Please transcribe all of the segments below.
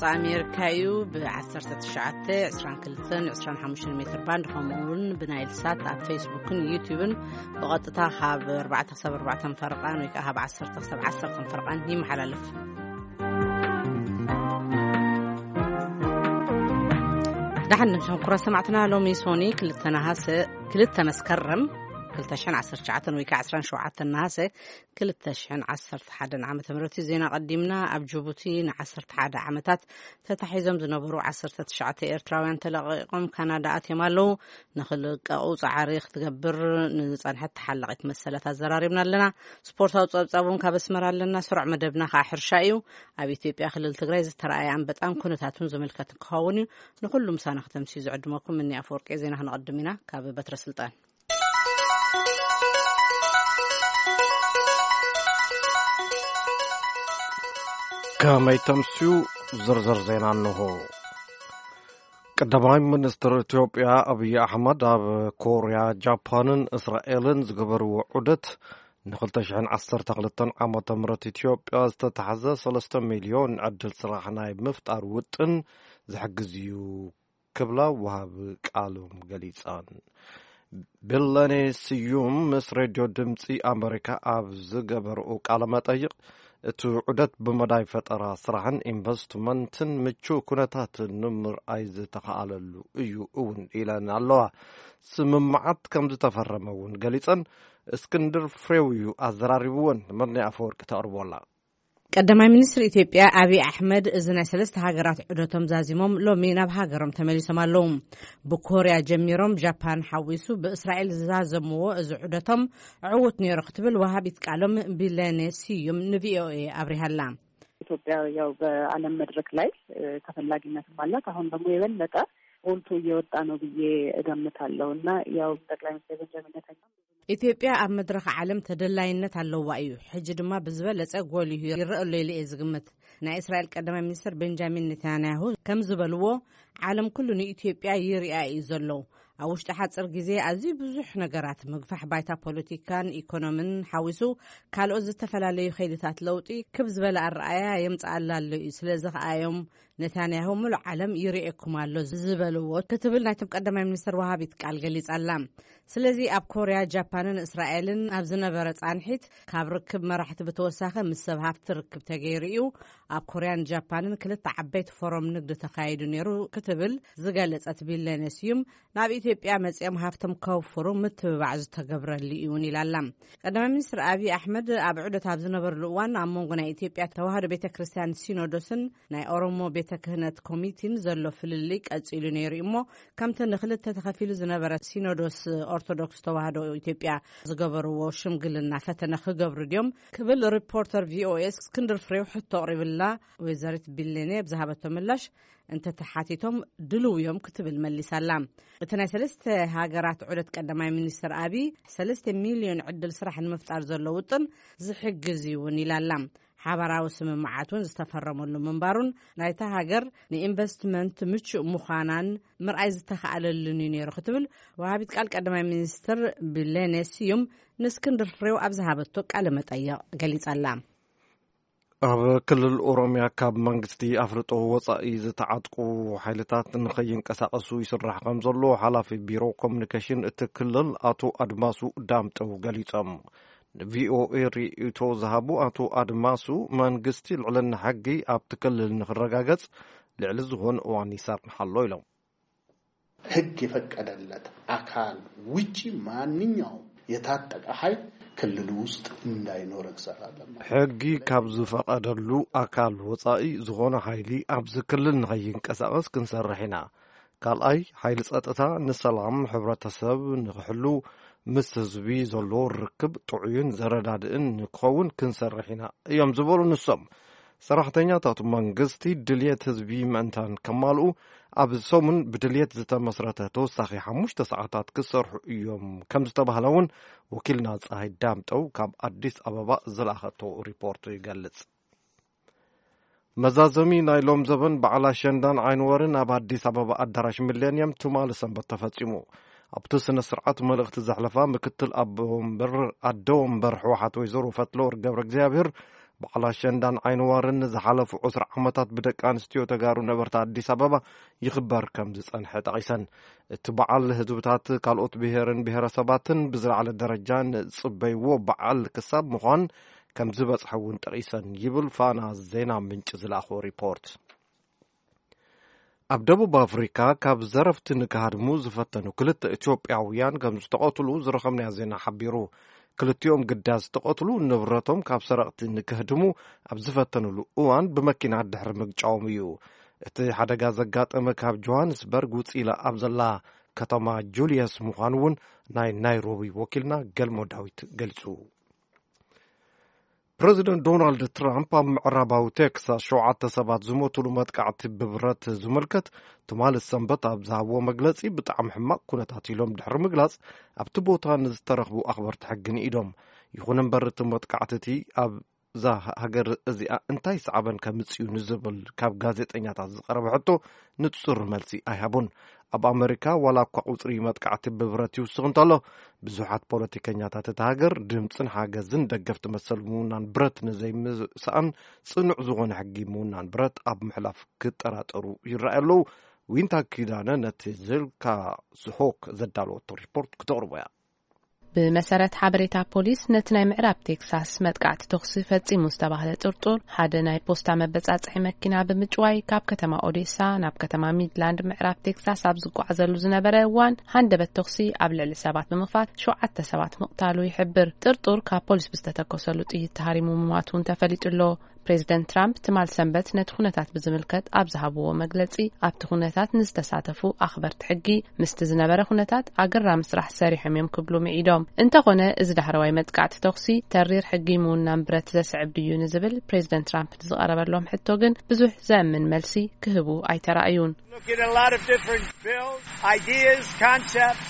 ኣሜሪካ እዩ። ብ19፣ 22፣ 25 ሜትር ባንድ፣ ከምኡ እውን ብናይል ሳት ኣብ ፌስቡክን ዩቲዩብን ብቐጥታ ካብ ኣርባዕተ ክሳብ ኣርባዕተ ፈረቓን ወይ ከዓ ካብ ዓሰርተ ክሳብ ዓሰርተ ፈረቓን ይመሓላለፍ። ደሓን ንምሸኹም ክቡራት ሰማዕትና። ሎሚ ሶኒ ክልተ ነሃሰ፣ ክልተ መስከረም ክልተ ሽሕን ዓሰርተ ትሽዓተን ወይ ከዓ ዕስራን ሸውዓተን ነሃሰ ክልተ ሽሕን ዓሰርተ ሓደን ዓመተ ምህረት እዩ። ዜና ቀዲምና። ኣብ ጅቡቲ ን11 ዓመታት ተታሒዞም ዝነበሩ ዓሰርተ ትሽዓተ ኤርትራውያን ተለቒቖም ካናዳ ኣትዮም ኣለዉ። ንኽልቀቑ ጻዕሪ ክትገብር ንዝጸንሐት ተሓላቒት መሰላት ኣዘራሪብና ኣለና። ስፖርታዊ ጸብጻብ እውን ካብ ኣስመራ ኣለና። ስሩዕ መደብና ከዓ ሕርሻ እዩ። ኣብ ኢትዮጵያ ክልል ትግራይ ዝተረኣየ ኣንበጣን ኩነታቱን ዝምልከት ክኸውን እዩ። ንኹሉ ምሳና ከተምስዩ ዝዕድመኩም እኒ ኣፈወርቂ። ዜና ክነቐድም ኢና ካብ በትረ ስልጣን። ከመይ ተምስዩ? ዝርዝር ዜና እንሆ። ቀዳማይ ሚኒስትር ኢትዮጵያ ኣብይ ኣሕመድ ኣብ ኮርያ፣ ጃፓንን እስራኤልን ዝገበርዎ ዑደት ን2012 ዓመተ ምህረት ኢትዮጵያ ዝተታሕዘ ሰለስተ ሚልዮን ዕድል ስራሕ ናይ ምፍጣር ውጥን ዝሕግዝ እዩ ክብላ ወሃቢ ቃሎም ገሊጸን። ብለኔ ስዩም ምስ ሬድዮ ድምፂ ኣመሪካ ኣብ ዝገበርኡ ቃለ መጠይቕ፣ እቲ ዑደት ብመዳይ ፈጠራ ስራሕን ኢንቨስትመንትን ምቹእ ኩነታትን ንምርኣይ ዝተኸኣለሉ እዩ እውን ኢለን ኣለዋ። ስምምዓት ከም ዝተፈረመ እውን ገሊጸን። እስክንድር ፍሬው እዩ ኣዘራሪብወን። መርኔ ኣፈወርቂ ተቕርቦላ። ቀዳማይ ሚኒስትር ኢትዮጵያ ኣብይ ኣሕመድ እዚ ናይ ሰለስተ ሃገራት ዑደቶም ዛዚሞም ሎሚ ናብ ሃገሮም ተመሊሶም ኣለዉ። ብኮርያ ጀሚሮም ጃፓን ሓዊሱ ብእስራኤል ዝዛዘምዎ እዚ ዑደቶም ዕዉት ነይሩ ክትብል ወሃቢት ቃሎም ቢለኔ ስዩም ንቪኦኤ ኣብሪሃላ። ኢትዮጵያ ያው በዓለም መድረክ ላይ ተፈላጊነትም አላት። አሁን ደግሞ የበለጠ ጎልቶ እየወጣ ነው ብዬ እገምታለሁ እና ያው ጠቅላይ ሚኒስትር ቤንጃሚን ኔታንያሁ ኢትዮጵያ ኣብ መድረኽ ዓለም ተደላይነት ኣለዋ እዩ። ሕጂ ድማ ብዝበለጸ ጎሊሁ ይረአ ኣሎ ኢለ እየ ዝግምት። ናይ እስራኤል ቀዳማይ ሚኒስትር ቤንጃሚን ኔታንያሁ ከም ዝበልዎ፣ ዓለም ኩሉ ንኢትዮጵያ ይሪኣ እዩ ዘሎ። ኣብ ውሽጢ ሓጽር ግዜ ኣዝዩ ብዙሕ ነገራት፣ ምግፋሕ ባይታ ፖለቲካን ኢኮኖምን ሓዊሱ ካልኦት ዝተፈላለዩ ከይድታት ለውጢ ክብ ዝበለ ኣረኣያ የምጽኣላ ኣሎ እዩ። ስለዚ ከኣ እዮም ነታንያሁ ምሉእ ዓለም ይርእየኩም ኣሎ ዝበልዎ ክትብል ናይቶም ቀዳማይ ሚኒስትር ወሃቢት ቃል ገሊጻ ኣላ። ስለዚ ኣብ ኮርያ፣ ጃፓንን እስራኤልን ኣብ ዝነበረ ጻንሒት ካብ ርክብ መራሕቲ ብተወሳኺ ምስ ሰብ ሃፍቲ ርክብ ተገይሩ እዩ። ኣብ ኮርያን ጃፓንን ክልተ ዓበይቲ ፎረም ንግዲ ተኻይዱ ነይሩ ክትብል ዝገለጸት ቢለኔ ስዩም፣ ናብ ኢትዮጵያ መጺኦም ሃፍቶም ከውፍሩ ምትብባዕ ዝተገብረሉ እዩ እውን ኢላ ኣላ። ቀዳማይ ሚኒስትር ኣብይ ኣሕመድ ኣብ ዑደት ኣብ ዝነበርሉ እዋን ኣብ መንጎ ናይ ኢትዮጵያ ተዋህዶ ቤተ ክርስቲያን ሲኖዶስን ናይ ኦሮሞ ቤተ ክህነት ኮሚቲን ዘሎ ፍልልይ ቀጺሉ ነይሩ እዩ እሞ፣ ከምቲ ንክልተ ተኸፊሉ ዝነበረ ሲኖዶስ ኦርቶዶክስ ተዋህዶ ኢትዮጵያ ዝገበርዎ ሽምግልና ፈተነ ክገብሩ ድዮም ክብል ሪፖርተር ቪኦኤ እስክንድር ፍሬው ሕቶ ኣቕሪብላ። ወይዘሪት ቢሌኔ ብዝሃበቶ ምላሽ፣ እንተተሓቲቶም ድልው እዮም ክትብል መሊሳላ። እቲ ናይ ሰለስተ ሃገራት ዑደት ቀዳማይ ሚኒስትር ኣብይ ሰለስተ ሚልዮን ዕድል ስራሕ ንምፍጣር ዘሎ ውጥን ዝሕግዝ እዩ እውን ኢላላ። ሓባራዊ ስምምዓት እውን ዝተፈረመሉ ምንባሩን ናይታ ሃገር ንኢንቨስትመንት ምቹእ ምዃናን ምርኣይ ዝተኻኣለሉን እዩ ነይሩ ክትብል ወሃቢት ቃል ቀዳማይ ሚኒስትር ቢሌኔ ስዩም ንእስክንድር ፍሬው ኣብ ዝሃበቶ ቃለ መጠይቕ ገሊጻላ። ኣብ ክልል ኦሮሚያ ካብ መንግስቲ ኣፍልጦ ወጻኢ ዝተዓጥቁ ሓይልታት ንኸይንቀሳቐሱ ይስራሕ ከም ዘሎ ሓላፊ ቢሮ ኮሙኒኬሽን እቲ ክልል ኣቶ ኣድማሱ ዳምጠው ገሊጾም። ንቪኦኤ ርእይቶ ዝሃቡ ኣቶ ኣድማሱ፣ መንግስቲ ልዕልና ሕጊ ኣብቲ ክልል ንኽረጋገጽ ልዕሊ ዝኾነ እዋን ይሰርሕ ኣሎ ኢሎም። ሕግ የፈቀደለት አካል ውጪ ማንኛውም የታጠቀ ኃይል ክልሉ ውስጥ እንዳይኖር እንሰራለን ማለት ነው። ሕጊ ካብ ዝፈቀደሉ ኣካል ወጻኢ ዝኾነ ሓይሊ ኣብዚ ክልል ንኸይንቀሳቐስ ክንሰርሕ ኢና። ካልኣይ፣ ሓይሊ ጸጥታ ንሰላም ሕብረተሰብ ንኽሕሉ፣ ምስ ህዝቢ ዘሎ ርክብ ጥዑይን ዘረዳድእን ንክኸውን ክንሰርሕ ኢና እዮም ዝበሉ ንሶም። ሰራሕተኛታት መንግስቲ ድልየት ህዝቢ ምእንታን ከማልኡ፣ ኣብ ሰሙን ብድልየት ዝተመስረተ ተወሳኺ ሓሙሽተ ሰዓታት ክሰርሑ እዮም ከም ዝተባህለ እውን ወኪልና ፀሃይ ዳምጠው ካብ ኣዲስ ኣበባ ዝለኣኸቶ ሪፖርት ይገልጽ። መዛዘሚ ናይ ሎም ዘበን በዓል ኣሸንዳን ዓይንወርን ኣብ ኣዲስ ኣበባ ኣዳራሽ ሚሌንየም ትማሊ ሰንበት ተፈጺሙ። ኣብቲ ስነ ስርዓት መልእኽቲ ዘሕለፋ ምክትል ኣቦ ወንበር፣ ኣደ ወንበር ህወሓት ወይዘሮ ፈትለወርቅ ገብረ እግዚኣብሔር፣ በዓል ኣሸንዳን ዓይንዋርን ንዝሓለፉ ዕስራ ዓመታት ብደቂ ኣንስትዮ ተጋሩ ነበርቲ ኣዲስ ኣበባ ይኽበር ከም ዝጸንሐ ጠቒሰን፣ እቲ በዓል ህዝብታት ካልኦት ብሄርን ብሄረሰባትን ብዝለዓለ ደረጃ ንጽበይዎ በዓል ክሳብ ምዃን ከም ዝበጽሐ እውን ጠቒሰን ይብል ፋና ዜና ምንጭ ዝለኣኾ ሪፖርት። ኣብ ደቡብ ኣፍሪካ ካብ ዘረፍቲ ንክሃድሙ ዝፈተኑ ክልተ ኢትዮጵያውያን ከም ዝተቐትሉ ዝረኸብናዮ ዜና ሓቢሩ። ክልቲኦም ግዳ ዝተቐትሉ ንብረቶም ካብ ሰረቕቲ ንክህድሙ ኣብ ዝፈተኑሉ እዋን ብመኪና ድሕሪ ምግጫዎም እዩ። እቲ ሓደጋ ዘጋጠመ ካብ ጆሃንስበርግ ውፅእ ኢላ ኣብ ዘላ ከተማ ጁልየስ ምዃኑ እውን ናይ ናይሮቢ ወኪልና ገልሞ ዳዊት ገሊፁ። ፕረዚደንት ዶናልድ ትራምፕ ኣብ ምዕራባዊ ቴክሳስ ሸውዓተ ሰባት ዝሞቱሉ መጥቃዕቲ ብብረት ዝምልከት ትማሊ ሰንበት ኣብ ዝሃብዎ መግለጺ፣ ብጣዕሚ ሕማቕ ኩነታት ኢሎም ድሕሪ ምግላጽ፣ ኣብቲ ቦታ ንዝተረኽቡ ኣኽበርቲ ሕጊ ንኢዶም። ይኹን እምበር፣ እቲ መጥቃዕቲ እቲ ኣብዛ ሃገር እዚኣ እንታይ ሰዓበን ከምጽእ እዩ ንዝብል ካብ ጋዜጠኛታት ዝቐረበ ሕቶ ንጹር መልሲ ኣይሃቡን። ኣብ ኣመሪካ ዋላ እኳ ቁጽሪ መጥቃዕቲ ብብረት ይውስኽ እንተሎ፣ ብዙሓት ፖለቲከኛታት እታ ሃገር ድምጽን ሓገዝን ደገፍቲ መሰል ምውናን ብረት ንዘይምስኣን ጽኑዕ ዝኾነ ሕጊ ምውናን ብረት ኣብ ምሕላፍ ክጠራጠሩ ይረኣዩ ኣለዉ። ዊንታ ኪዳነ ነቲ ዝልካ ስሆክ ዘዳለወቶ ሪፖርት ክተቕርቦ እያ። ብመሰረት ሓበሬታ ፖሊስ፣ ነቲ ናይ ምዕራብ ቴክሳስ መጥቃዕቲ ተኹሲ ፈጺሙ ዝተባህለ ጥርጡር፣ ሓደ ናይ ፖስታ መበጻጽሒ መኪና ብምጭዋይ ካብ ከተማ ኦዴሳ ናብ ከተማ ሚድላንድ ምዕራብ ቴክሳስ ኣብ ዝጓዓዘሉ ዝነበረ እዋን፣ ሃንደበት ተኹሲ ኣብ ልዕሊ ሰባት ብምኽፋት ሸውዓተ ሰባት ምቕታሉ ይሕብር። ጥርጡር ካብ ፖሊስ ብዝተተኮሰሉ ጥይት ተሃሪሙ ምሟቱ እውን ተፈሊጡ ኣሎ። ፕሬዚደንት ትራምፕ ትማል ሰንበት ነቲ ኩነታት ብዝምልከት ኣብ ዝሃብዎ መግለጺ፣ ኣብቲ ኩነታት ንዝተሳተፉ ኣኽበርቲ ሕጊ፣ ምስቲ ዝነበረ ኩነታት ኣገራሚ ስራሕ ሰሪሖም እዮም ክብሉ ምዒዶም። እንተኾነ፣ እዚ ዳሕረዋይ መጥቃዕቲ ተኹሲ ተሪር ሕጊ ምውናን ብረት ዘስዕብ ድዩ ንዝብል ፕሬዚደንት ትራምፕ ንዝቐረበሎም ሕቶ ግን ብዙሕ ዘእምን መልሲ ክህቡ ኣይተራእዩን። Look at a lot of different bills, ideas, concepts.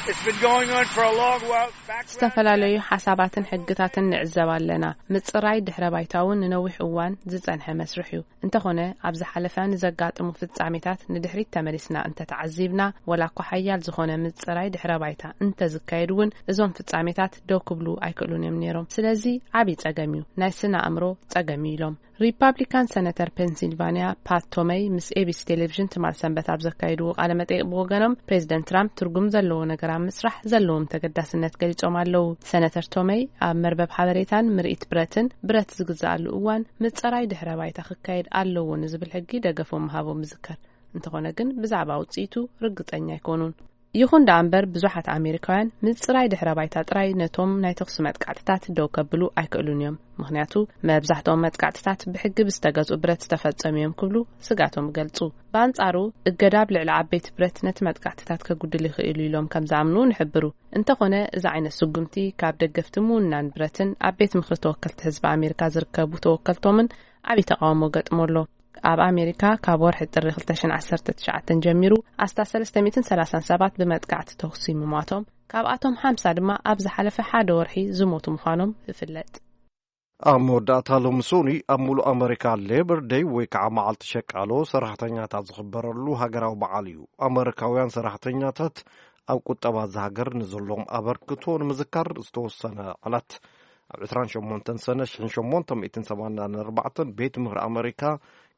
It's been going on for a long while. Background ዝተፈላለዩ ሓሳባትን ሕግታትን ንዕዘብ ኣለና። ምጽራይ ድሕረ ባይታ እውን ንነዊሕ እዋን ዝጸንሐ መስርሕ እዩ። እንተኾነ፣ ኣብ ዝሓለፈ ንዘጋጥሙ ፍጻሜታት ንድሕሪት ተመሊስና እንተተዓዚብና፣ ወላ እኳ ሓያል ዝኾነ ምጽራይ ድሕረ ባይታ እንተዝካየድ እውን፣ እዞም ፍጻሜታት ደው ክብሉ ኣይክእሉን እዮም ነይሮም። ስለዚ ዓብዪ ጸገም እዩ። ናይ ስነ ኣእምሮ ጸገም እዩ ኢሎም። ሪፓብሊካን ሰነተር ፔንሲልቫኒያ ፓት ቶመይ ምስ ኤቢሲ ቴሌቪዥን ትማል ሰንበት ኣብ ዘካየድዎ ቃለ መጠይቕ ብወገኖም፣ ፕሬዚደንት ትራምፕ ትርጉም ዘለዎ ነገር ኣብ ምስራሕ ዘለዎም ተገዳስነት ገሊጾም ኣለዉ። ሰነተር ቶመይ ኣብ መርበብ ሓበሬታን ምርኢት ብረትን፣ ብረት ዝግዝኣሉ እዋን ምጸራይ ድሕረ ባይታ ክካየድ ኣለዎ ንዝብል ሕጊ ደገፎም ምሃቦም ይዝከር። እንተኾነ ግን ብዛዕባ ውጽኢቱ ርግጸኛ ኣይኮኑን። ይኹን ደኣ እምበር፣ ብዙሓት ኣሜሪካውያን ምጽራይ ድሕረ ባይታ ጥራይ ነቶም ናይ ተኹሲ መጥቃዕትታት ደው ከብሉ ኣይክእሉን እዮም። ምኽንያቱ፣ መብዛሕትኦም መጥቃዕትታት ብሕጊ ብዝተገዝኡ ብረት ዝተፈጸሙ እዮም ክብሉ ስጋቶም ይገልጹ። ብኣንጻሩ፣ እገዳ ኣብ ልዕሊ ዓበይቲ ብረት ነቲ መጥቃዕትታት ከጉድል ይኽእል እዩ ኢሎም ከም ዝኣምኑ ንሕብሩ። እንተኾነ፣ እዚ ዓይነት ስጉምቲ ካብ ደገፍቲ ምውናን ብረትን ኣብ ቤት ምኽሪ ተወከልቲ ህዝቢ ኣሜሪካ ዝርከቡ ተወከልቶምን ዓብዪ ተቓውሞ ገጥሞ ኣሎ። ኣብ ኣሜሪካ ካብ ወርሒ ጥሪ ክልተ ሽሕን ዓሰርተ ትሽዓተን ጀሚሩ ኣስታት ሰለስተ ሚእትን ሰላሳን ሰባት ብመጥቃዕቲ ተኹሲ ምሟቶም፣ ካብኣቶም ሓምሳ ድማ ኣብ ዝሓለፈ ሓደ ወርሒ ዝሞቱ ምዃኖም ይፍለጥ። ኣብ መወዳእታ ሎሚ ሶኒ ኣብ ሙሉእ ኣመሪካ ሌበር ደይ ወይ ከዓ መዓልቲ ሸቃሎ ሰራሕተኛታት ዝኽበረሉ ሃገራዊ በዓል እዩ። ኣመሪካውያን ሰራሕተኛታት ኣብ ቁጠባ እዛ ሃገር ንዘለዎም ኣበርክቶ ንምዝካር ዝተወሰነ ዕለት ኣብ ዕስራን ሸሞንተን ሰነ ሽሕን ሸሞንተ ሚእትን ሰማንያን ኣርባዕተን ቤት ምኽሪ ኣመሪካ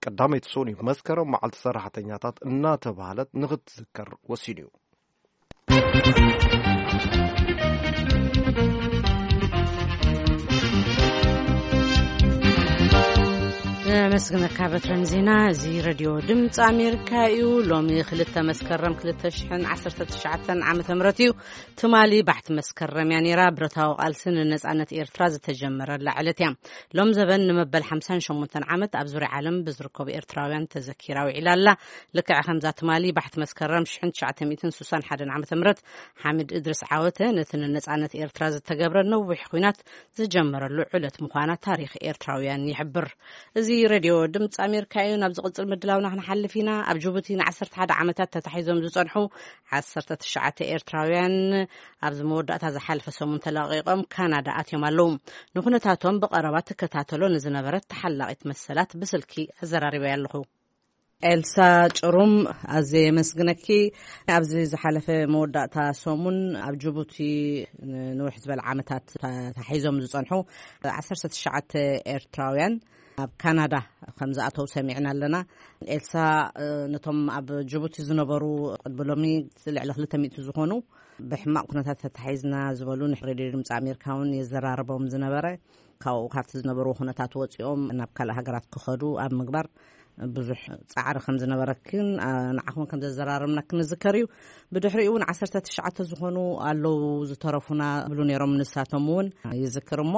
ቀዳመይቲ ሶኒ መስከረም መዓልቲ ሰራሕተኛታት እናተባህለት ንኽትዝከር ወሲኑ እዩ። ነመስግነካ በትረን ዜና። እዚ ሬድዮ ድምፂ ኣሜሪካ እዩ። ሎሚ ክልተ መስከረም ክልተ ሽሕን ዓሰርተ ትሽዓተን ዓመተ ምህረት እዩ። ትማሊ ባሕቲ መስከረም እያ ነይራ። ብረታዊ ቃልሲ ንነፃነት ኤርትራ ዝተጀመረላ ዕለት እያ። ሎም ዘበን ንመበል ሓምሳን ሸሞንተን ዓመት ኣብ ዙርያ ዓለም ብዝርከቡ ኤርትራውያን ተዘኪራ ውዒላ ኣላ። ልክዕ ከምዛ ትማሊ ባሕቲ መስከረም ሽሕን ትሽዓተ ሚእትን ስሳን ሓደን ዓመተ ምህረት ሓሚድ እድሪስ ዓወተ ነቲ ንነፃነት ኤርትራ ዝተገብረ ነዊሕ ኲናት ዝጀመረሉ ዕለት ምዃና ታሪኽ ኤርትራውያን ይሕብር። እዚ ሬድዮ ድምፂ ኣሜሪካ እዩ። ናብ ዝቕጽል ምድላውና ክንሓልፍ ኢና። ኣብ ጅቡቲ ንዓሰርተ ሓደ ዓመታት ተታሒዞም ዝጸንሑ ዓሰርተ ትሽዓተ ኤርትራውያን ኣብዚ መወዳእታ ዝሓለፈ ሰሙን ተለቒቖም ካናዳ ኣትዮም ኣለዉ። ንኩነታቶም ብቐረባ ትከታተሎ ንዝነበረት ተሓላቒት መሰላት ብስልኪ ኣዘራሪበያ ኣለኹ። ኤልሳ ጭሩም፣ ኣዝየ የመስግነኪ። ኣብዚ ዝሓለፈ መወዳእታ ሰሙን ኣብ ጅቡቲ ንንውሕ ዝበለ ዓመታት ተታሒዞም ዝጸንሑ ዓሰርተ ትሽዓተ ኤርትራውያን ኣብ ካናዳ ከም ዝኣተው ሰሚዕና ኣለና። ኤልሳ፣ ነቶም ኣብ ጅቡቲ ዝነበሩ ቅድሚ ሎሚ ልዕሊ ክልተ ሚእቲ ዝኾኑ ብሕማቕ ኩነታት ተታሒዝና ዝበሉ ንሬድዮ ድምፂ ኣሜሪካ እውን የዘራርቦም ዝነበረ፣ ካብኡ ካብቲ ዝነበሩ ኩነታት ወፂኦም ናብ ካልእ ሃገራት ክኸዱ ኣብ ምግባር ብዙሕ ጻዕሪ ከም ዝነበረክን ንዓኹም ከም ዘዘራረብናክን ዝዝከር እዩ። ብድሕሪኡ እውን ዓሰርተ ትሽዓተ ዝኾኑ ኣለዉ ዝተረፉና ብሉ ነይሮም፣ ንሳቶም እውን ይዝክር። እሞ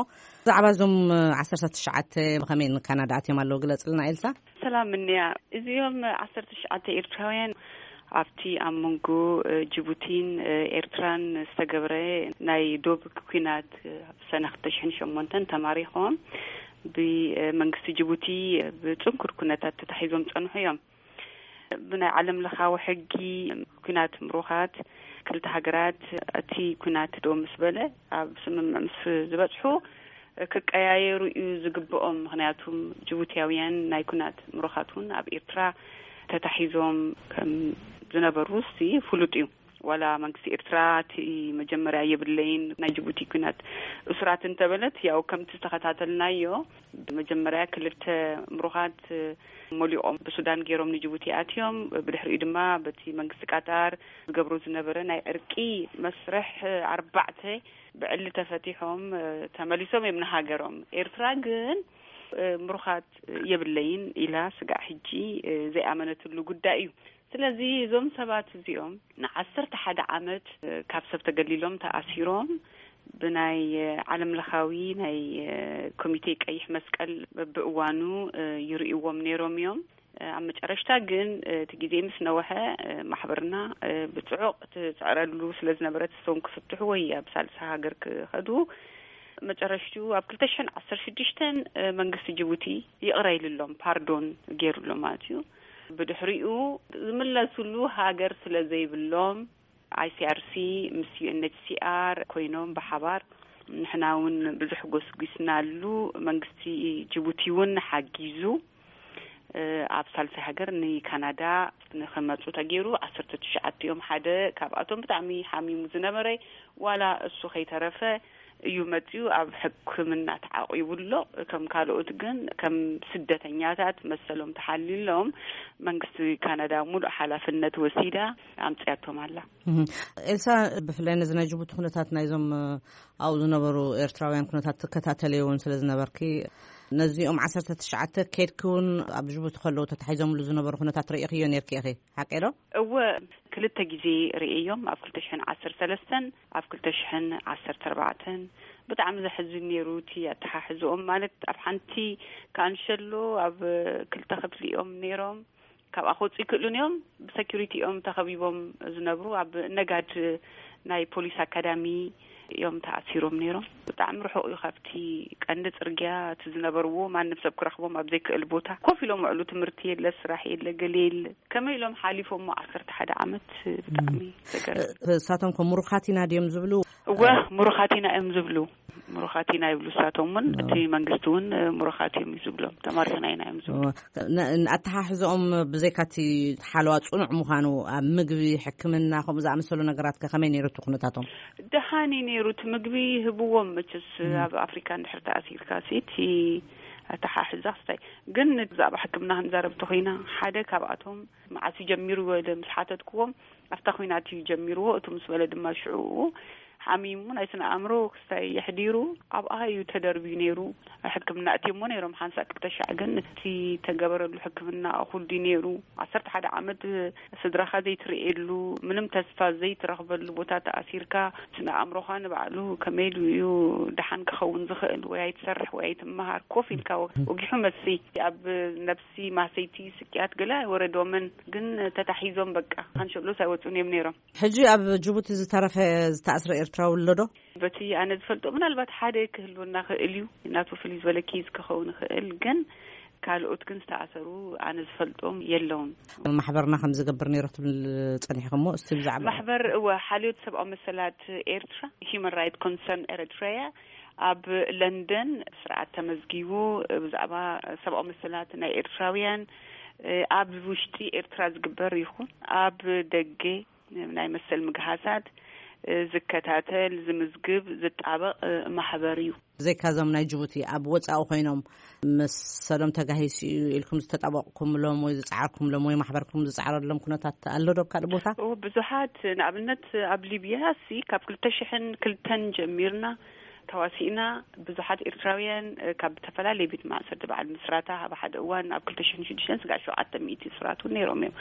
ብዛዕባ እዞም ዓሰርተ ትሽዓተ ብኸመይ ንካናዳ ኣትዮም ኣለዉ ግለጽልና ኤልሳ። ሰላም እንያ። እዚኦም ዓሰርተ ትሽዓተ ኤርትራውያን ኣብቲ ኣብ መንጎ ጅቡቲን ኤርትራን ዝተገብረ ናይ ዶብ ኲናት ኣብ ሰነ ክልተ ሽሕን ሸሞንተን ተማሪኾም ብመንግስቲ ጅቡቲ ብጽንኩር ኩነታት ተታሒዞም ጸንሑ እዮም። ብናይ ዓለም ለኻዊ ሕጊ ኲናት ምሩኻት ክልተ ሃገራት እቲ ኲናት ደው ምስ በለ ኣብ ስምምዕ ምስ ዝበጽሑ ክቀያየሩ እዩ ዝግብኦም። ምኽንያቱም ጅቡትያውያን ናይ ኲናት ምሩኻት እውን ኣብ ኤርትራ ተታሒዞም ከም ዝነበሩ ሲ ፍሉጥ እዩ። ዋላ መንግስቲ ኤርትራ እቲ መጀመርያ የብለይን ናይ ጅቡቲ ኲናት እሱራት እንተበለት፣ ያው ከምቲ ዝተኸታተልናዮ መጀመርያ ክልተ ምሩኻት መሊኦም ብሱዳን ገይሮም ንጅቡቲ ኣትዮም። ብድሕሪኡ ድማ በቲ መንግስቲ ቃጣር ዝገብሮ ዝነበረ ናይ ዕርቂ መስርሕ ኣርባዕተ ብዕሊ ተፈቲሖም ተመሊሶም እዮም ንሃገሮም። ኤርትራ ግን ምሩኻት የብለይን ኢላ ስጋዕ ሕጂ ዘይኣመነትሉ ጉዳይ እዩ። ስለዚ እዞም ሰባት እዚኦም ንዓሰርተ ሓደ ዓመት ካብ ሰብ ተገሊሎም ተኣሲሮም ብናይ ዓለም ለኻዊ ናይ ኮሚቴ ቀይሕ መስቀል በብእዋኑ ይርእይዎም ነይሮም እዮም። ኣብ መጨረሽታ ግን እቲ ግዜ ምስ ነወሐ ማሕበርና ብጽዑቕ ትጽዕረሉ ስለ ዝነበረት እሶም ክፍትሑ ወይ ኣብ ሳልሳ ሃገር ክኸዱ መጨረሽቱ ኣብ ክልተ ሽሕን ዓሰርተ ሽዱሽተን መንግስቲ ጅቡቲ ይቕረ ኢሉሎም፣ ፓርዶን ገይሩሎም ማለት እዩ። ብድሕሪኡ ዝምለሱሉ ሃገር ስለ ዘይብሎም ኣይሲኣርሲ ምስ ዩኤንኤችሲኣር ኮይኖም ብሓባር ንሕና እውን ብዙሕ ጎስጒስናሉ። መንግስቲ ጅቡቲ እውን ሓጊዙ ኣብ ሳልሳይ ሃገር ንካናዳ ንክመፁ ተገይሩ። ዓሰርተ ትሽዓተ እዮም። ሓደ ካብኣቶም ብጣዕሚ ሓሚሙ ዝነበረ ዋላ እሱ ከይተረፈ እዩ መፅኡ። ኣብ ሕክምና ተዓቂቡ ኣሎ። ከም ካልኦት ግን ከም ስደተኛታት መሰሎም ተሓሊሎም መንግስቲ ካናዳ ሙሉእ ሓላፍነት ወሲዳ ኣምፅያቶም ኣላ። ኤልሳ፣ ብፍላይ ነዚ ናይ ጅቡቲ ኩነታት ናይዞም ኣብኡ ዝነበሩ ኤርትራውያን ኩነታት ትከታተልዮ እውን ስለ ዝነበርኪ ነዚኦም ዓሰርተ ትሽዓተ ከድኪ እውን ኣብ ጅቡቲ ከለዉ ተታሒዞምሉ ዝነበሩ ኩነታት ርእኽዮ ነርኪ ኢኺ፣ ሓቀይ ዶ? እወ፣ ክልተ ግዜ ርእዮም፣ ኣብ ክልተ ሽሕን ዓሰርተ ሰለስተን ኣብ ክልተ ሽሕን ዓሰርተ ኣርባዕተን። ብጣዕሚ ዘሕዝን ነይሩ እቲ ኣተሓሕዝኦም። ማለት ኣብ ሓንቲ ካንሸሎ ኣብ ክልተ ክፍሊ እዮም ነይሮም። ካብኣ ክወፁ ይክእሉን እዮም። ብሰኪሪቲ እዮም ተኸቢቦም ዝነብሩ። ኣብ ነጋድ ናይ ፖሊስ ኣካዳሚ እዮም ተኣሲሮም ነይሮም። ብጣዕሚ ርሑቕ እዩ ካብቲ ቀንዲ ጽርግያ እቲ ዝነበርዎ። ማንም ሰብ ክረኽቦም ኣብ ዘይክእል ቦታ ኮፍ ኢሎም ውዕሉ። ትምህርቲ የለ፣ ስራሕ የለ፣ ገለ የለ። ከመይ ኢሎም ሓሊፎሞ ዓሰርተ ሓደ ዓመት? ብጣዕሚ ዘገርም። እሳቶም ከ ምሩኻት ኢና ድዮም ዝብሉ? እወ፣ ምሩኻት ኢና እዮም ዝብሉ። ምሩኻት ኢና ይብሉ እሳቶም እውን። እቲ መንግስቲ እውን ምሩኻት እዮም እዩ ዝብሎም። ተማሪኽና ኢና እዮም ዝብሉ። ን-፣ ኣተሓሕዝኦም ብዘይካ እቲ ሓለዋ ጽኑዕ ምዃኑ፣ ኣብ ምግቢ፣ ሕክምና፣ ከምኡ ዝኣመሰሉ ነገራት ከ ከመይ ነይሩ እቲ ኩነታቶም? ደሃን እዩ ነይሩ። እቲ ምግቢ ይህብዎም መቸስ። ኣብ ኣፍሪካ እንድሕር ተኣሲርካ ሲ እቲ ኣተሓሕዛ ክስታይ። ግን ብዛዕባ ሕክምና ክንዛረብ እንተኾይና፣ ሓደ ካብኣቶም መዓስ እዩ ጀሚሩ ኢለ ምስ ሓተትክዎም፣ ኣብታ ኲናት እዩ ጀሚርዎ። እቱ ምስ በለ ድማ ሽዑ ሓሚሙ ናይ ስነ ኣእምሮ ክስታይ የሕዲሩ ኣብኣ እዩ ተደርብዩ ነይሩ። ሕክምና እትየሞ ነይሮም ሓንሳእ ክልተ ሻዕ፣ ግን እቲ ተገበረሉ ሕክምና እኹል ድዩ ነይሩ? ዓሰርተ ሓደ ዓመት ስድራኻ ዘይትርእየሉ፣ ምንም ተስፋ ዘይትረኽበሉ ቦታ ተኣሲርካ፣ ስነ ኣእምሮኻ ንባዕሉ ከመይ ኢሉ እዩ ደሓን ክኸውን ዝኽእል? ወይ ኣይትሰርሕ ወይ ኣይትመሃር፣ ኮፍ ኢልካ ወ-፣ ወጊሑ መሲ ኣብ ነብሲ ማሰይቲ ስቅያት ገለ ኣይወረዶምን፣ ግን ተታሒዞም በቃ ካንሸሎስ ኣይወፁን እዮም ነይሮም። ሕጂ ኣብ ጅቡቲ ዝተረፈ ዝተኣስረ ኤርትራዊ ኣሎ ዶ? በቲ ኣነ ዝፈልጦ ምናልባት ሓደ ክህልወና ክእል እዩ፣ ናቱ ፍልይ ዝበለ ኬዝ ክኸውን ይኽእል፣ ግን ካልኦት ግን ዝተኣሰሩ ኣነ ዝፈልጦም የለውን። ማሕበርና ከም ዝገብር ነይሩ ትብል ጸኒሕኹሞ፣ እስቲ ብዛዕባ ማሕበር፣ እወ፣ ሓልዮት ሰብኣዊ መሰላት ኤርትራ፣ ሂዩማን ራይት ኮንሰርን ኤሪትሪያ፣ ኣብ ለንደን ስርዓት ተመዝጊቡ ብዛዕባ ሰብኣዊ መሰላት ናይ ኤርትራውያን ኣብ ውሽጢ ኤርትራ ዝግበር ይኹን ኣብ ደገ ናይ መሰል ምግሃሳት ዝከታተል፣ ዝምዝግብ፣ ዝጣበቕ ማሕበር እዩ። ዘይካዞም ናይ ጅቡቲ ኣብ ወጻኢ ኮይኖም መሰሎም ተጋሂሱ እዩ ኢልኩም ዝተጣበቕኩምሎም ወይ ዝጻዓርኩምሎም ወይ ማሕበርኩም ዝጻዓረሎም ኩነታት ኣሎ ዶ ኣብ ካልእ ቦታ? ኦ፣ ብዙሓት፣ ንኣብነት ኣብ ሊብያ ሲ ካብ ክልተ ሽሕን ክልተን ጀሚርና ተዋሲእና ብዙሓት ኤርትራውያን ካብ ዝተፈላለየ ቤት ማእሰርቲ በዓል ምስራታ ኣብ ሓደ እዋን ኣብ ክልተ ሽሕን ሽዱሽተን ስጋዕ ሸውዓተ ሚእቲ እሱራት እውን ነይሮም እዮም።